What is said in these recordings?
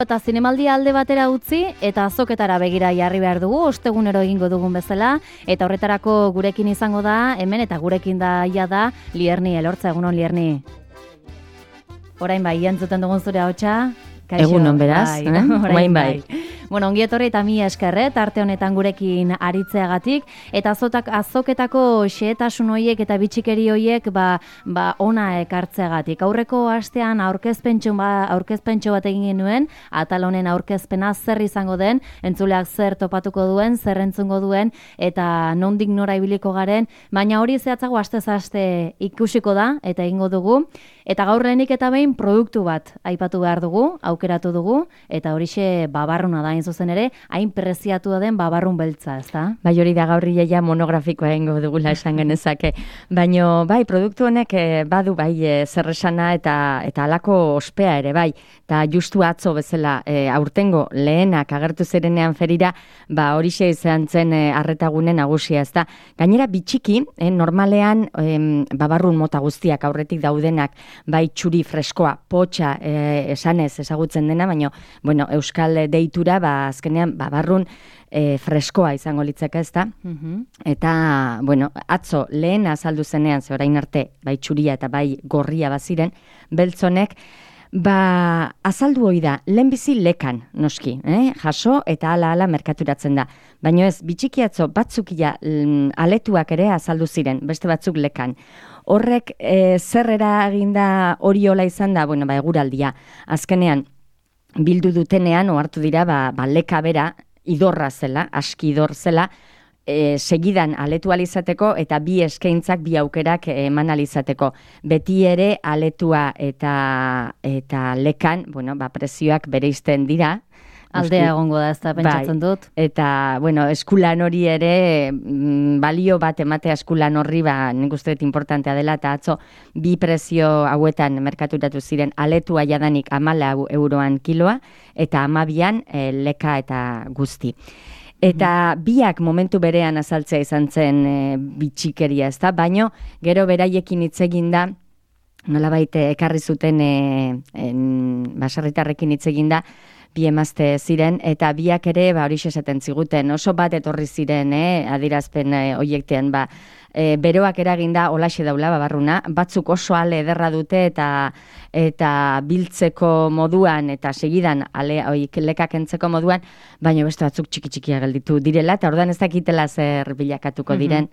Eta zinemaldi alde batera utzi eta azoketara begira jarri behar dugu, ostegunero egingo dugun bezala, eta horretarako gurekin izango da, hemen eta gurekin da ia da, Lierni Elortza, egunon Lierni. Orain bai, entzuten dugun zure ahotsa. Egunon beraz, orain bai. Bueno, ongi etorri eta mila esker, tarte honetan gurekin aritzeagatik, eta azoketako xehetasun hoiek eta bitxikeri hoiek ona ekartzeagatik. Aurreko astean aurkezpentxo bat egin genuen, atal honen aurkezpena zer izango den, entzuleak zer topatuko duen, zer entzungo duen, eta nondik nora ibiliko garen, baina hori zehatzago astez aste ikusiko da, eta egingo dugu, eta gaur lehenik eta behin produktu bat aipatu behar dugu, aukeratu dugu, eta horixe babarruna da zuzen ere, hain preziatu den babarrun beltza, ezta? Bai, hori da gaur ja monografikoa egingo dugula esan genezake. Baina, bai, produktu honek badu bai zerresana eta halako ospea ere, bai. Eta justu atzo bezala aurtengo lehenak agertu zirenean ferira, horixe izan zen arretagune nagusia, ezta? Gainera bitxiki, normalean babarrun mota guztiak aurretik daudenak, bai txuri freskoa, potxa esanez ezagutzen dena, baina, bueno, euskal deitura, azkenean babarrun freskoa izango litzake, ezta? Eta, bueno, atzo lehen azaldu zenean, ze orain arte, bai txuria eta bai gorria baziren, beltzonek, azaldu hoi da, lehenbizi lekan, noski, jaso eta ala merkaturatzen da. Baina ez, bitxiki atzo batzukia aletuak ere azaldu ziren, beste batzuk lekan. Horrek zer eraginda hori hola izan da, bueno, eguraldia. Azkenean, bildu dutenean, ohartu dira, leka bera, idorra zela, aski idor zela, segidan aletu alizateko eta bi eskaintzak, bi aukerak eman alizateko. Beti ere aletua eta lekan, bueno, prezioak bereizten dira. Aldea egongo da, ez da, pentsatzen dut. Eta, bueno, eskulan hori ere, balio bat ematea eskulan horri, nik uste dut importantea dela, eta atzo, bi prezio hauetan merkaturatu ziren, aletua jadanik 14 euroan kiloa, eta 12an leka eta guzti. Eta biak momentu berean azaltzea izan zen bitxikeria, ez da, baino, gero beraiekin hitz egin da, nolabait ekarri zuten baserritarrekin hitz egin da, bi emazte ziren, eta biak ere horixe esaten ziguten, oso bat etorri ziren, adirazpen hoiektean, beroak eraginda olaxe daula babarruna, batzuk oso ale ederra dute eta biltzeko moduan eta segidan lekak entzeko moduan, baina beste batzuk txiki-txikia gelditu direla, eta orduan ez dakitela zer bilakatuko diren.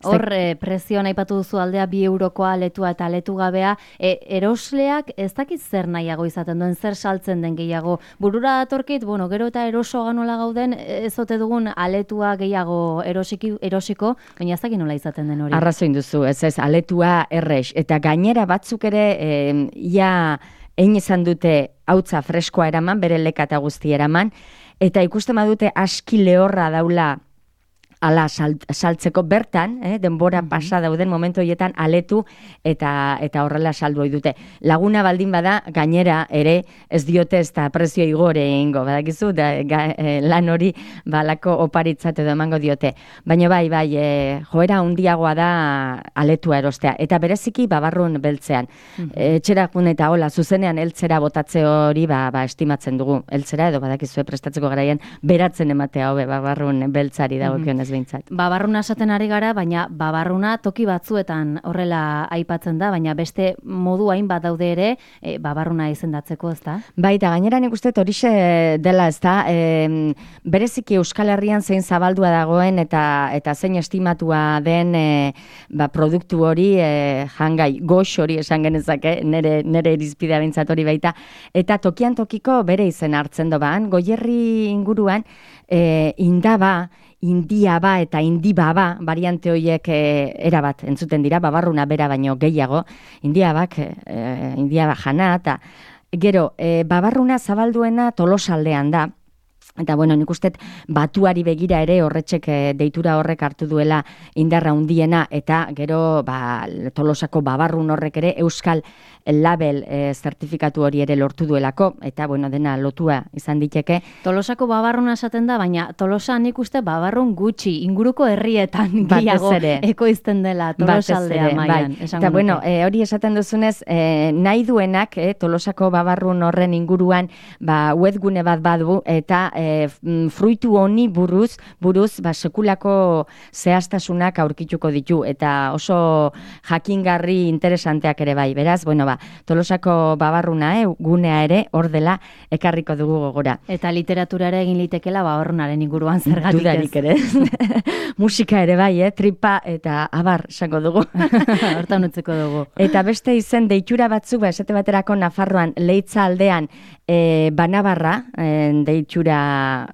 Hor, prezioan aipatu duzu aldea 2 eurokoa aletua eta aletu gabea, erosleak ez dakit zer nahiago izaten duen, zer saltzen den gehiago. Burura datorkit, bueno, gero eta eroso ganola gauden, ez ote dugun aletua gehiago erosiko, baina ez dakit nola izaten den hori. Arrazoin duzu, ez, aletua errex, eta gainera batzuk ere, ia egin izan dute hautza freskoa eraman, bere leka eta guzti eraman, eta ikusten badute aski lehorra daula ala saltzeko bertan, denbora pasa dauden momentu horietan aletu eta horrela saldu ohi dute. Laguna baldin bada, gainera ere ez diote ez da prezio igore egingo, badakizu, lan hori balako oparitzat edo emango diote. Baina bai, joera handiagoa da aletua erostea. Eta bereziki babarrun beltzean. Etxerakun eta hola, zuzenean heltzera botatze hori estimatzen dugu. Heltzera edo badakizue prestatzeko garaian beratzen ematea hobe babarrun beltzari dagokionez. Babarruna esaten ari gara, baina babarruna toki batzuetan horrela aipatzen da, baina beste modu hainbat daude ere babarruna izendatzeko, ez da? Bai, eta gainera nik uste horixe dela, ez da, bereziki Euskal Herrian zein zabaldua dagoen eta zein estimatua den produktu hori jangai, gox hori esan genezake, nire irizpidea bintzat hori baita, eta tokian tokiko bere izen hartzen doban, Goierri inguruan indaba, indiaba eta indibaba, variante horiek erabat entzuten dira, babarruna bera baino gehiago, indiaba jana, eta gero, babarruna zabalduena Tolosaldean da, Eta, bueno, nik uste batuari begira ere horretxek deitura horrek hartu duela indarra handiena, eta gero Tolosako babarrun horrek ere Euskal Label zertifikatu hori ere lortu duelako, eta, bueno, dena lotua izan diteke. Tolosako babarruna esaten da, baina Tolosa nik uste babarrun gutxi, inguruko herrietan gehiago ekoizten dela Tolosaldea mailan. Eta, bueno, hori esaten duzunez, nahi duenak Tolosako babarrun horren inguruan webgune bat badu, eta fruitu honi buruz sekulako zehaztasunak aurkituko ditu, eta oso jakingarri interesanteak ere bai. Beraz, bueno, Tolosako babarruna gunea ere hor dela ekarriko dugu gogora. Eta literaturara egin litekela babarrunaren inguruan zergatik ez. Dudarik ere. Musika ere bai, tripa eta abar esango dugu. Hortan utziko dugu. Eta beste izen deitura batzuk, esate baterako Nafarroan Leitza aldean Banabarra deitura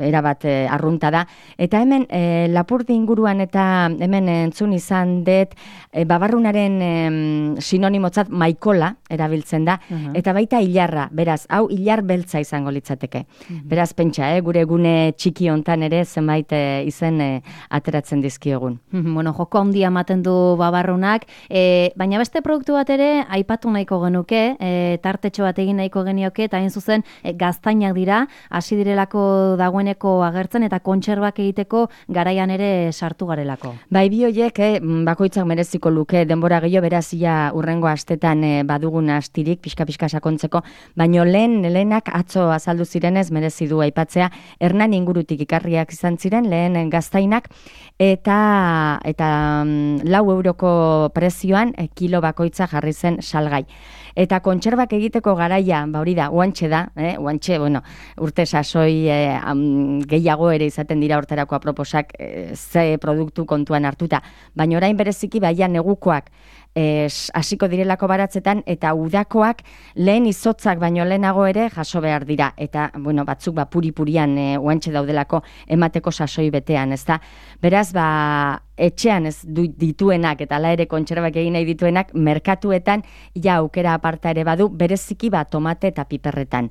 erabat arrunta da. Eta hemen Lapurdi inguruan eta hemen entzun izan dut babarrunaren sinonimotzat maikola erabiltzen da, eta baita hilarra, beraz, hau hilar beltza izango litzateke. Beraz, pentsa, gure gune txiki hontan ere zenbait izen ateratzen dizkiogun. Bueno, joko handia ematen du babarrunak, baina beste produktu bat ere aipatu nahiko genuke, tartetxo bat egin nahiko genioke, eta hain zuzen gaztainak dira, hasi direlako dagoeneko agertzen, eta kontserbak egiteko garaian ere sartu garelako. Bai, bi horiek, bakoitzak mereziko luke denbora gehiago, beraz ia urrengo astetan badugun astirik, pixka sakontzeko, baino lehenak atzo azaldu zirenez merezi du aipatzea, Hernan ingurutik ikarriak izan ziren, lehen gaztainak, eta 4 euroko prezioan kilo bakoitza jarri zen salgai. Eta kontserbak egiteko garaia, hori da, oantxe da, bueno, urte sasoi gehiago ere izaten dira hortarako aproposak ze produktu kontuan hartuta. Baina orain bereziki baia negukoak hasiko direlako baratzetan, eta udakoak lehen izotzak baino lehenago ere jaso behar dira. Eta, bueno, batzuk puri-purian oantxe daudelako emateko sasoi betean, ezta? Beraz, etxean ez dituenak, eta ala ere kontserbak egin nahi dituenak, merkatuetan ja aukera aparta ere badu, bereziki tomate eta piperretan.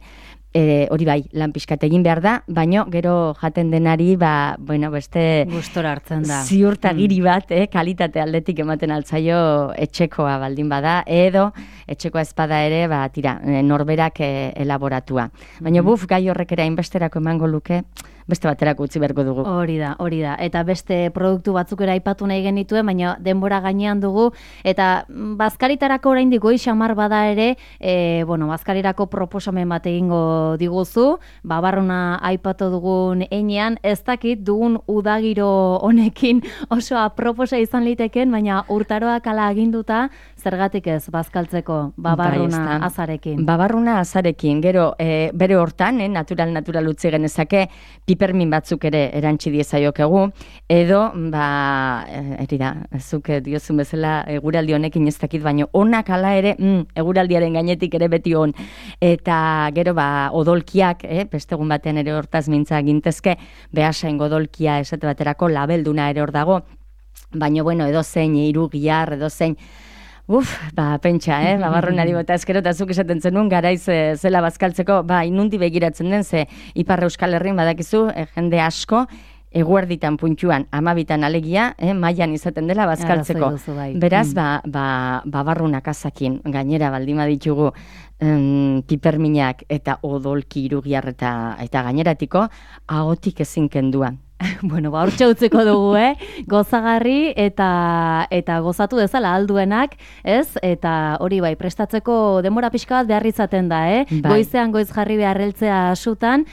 Hori bai, lan pixkat egin behar da, baino gero jaten denari, bueno, beste gustora hartzen da. Ziurtagiri bat, kalitate aldetik ematen altzaio etxekoa baldin bada, edo etxekoa espada ere, tira, norberak elaboratua. Baina gai horrek ere hainbesterako emango luke, beste baterako utzi beharko dugu. Hori da. Eta beste produktu batzuk ere aipatu nahi genituen, baina denbora gainean dugu, eta bazkaritarako oraindik goi xamar bada ere, bueno, bazkarirako proposamen bat egingo diguzu, babarruna aipatu dugun heinean, ez dakit dugun udagiro honekin oso aproposa izan liteken, baina urtaroak ala aginduta, zergatik ez bazkaltzeko babarruna azarekin. Babarruna azarekin, gero bere hortan, natural utzi genezake, pipermin batzuk ere erantzi diezaiokegu, edo, eri da, zuk diozun bezala eguraldi honekin ez dakit, baino onak ala ere, eguraldiaren gainetik ere beti on, eta gero odolkiak, bestegun batean ere hortaz mintza gintezke, behasain odolkia esate baterako labelduna ere hor dago, baino, bueno, edo zein irugiar, edo zein, pentsa, babarrunari bota eskero, eta zuk esaten zenun, garaiz zela bazkaltzeko, inundi begiratzen den, ze Ipar Euskal Herrin badakizu, jende asko, eguerditan puntxuan, 12 alegia, mailan izaten dela bazkaltzeko. Beraz, babarrunak azakin, gainera baldima ditugu piperminak eta odolki irugiar eta gaineratiko, ahotik ezin kendua. Bueno, hortxe utziko dugu, gozagarri eta gozatu dezala alduenak, ez? Eta hori prestatzeko denbora pixka bat behar izaten da, Goizean goiz jarri beharreltzea asutan,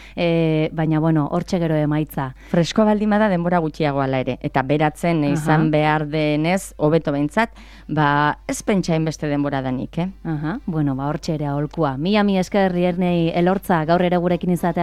baina, bueno, hortxe gero emaitza. Fresko baldima da denbora gutxiago ala ere, eta beratzen izan behar denez, hobeto behintzat, ez pentsain beste denbora danik, Bueno, hortxe ere aholkua. Mila esker Ernei Elortza gaur ere gurekin izatea.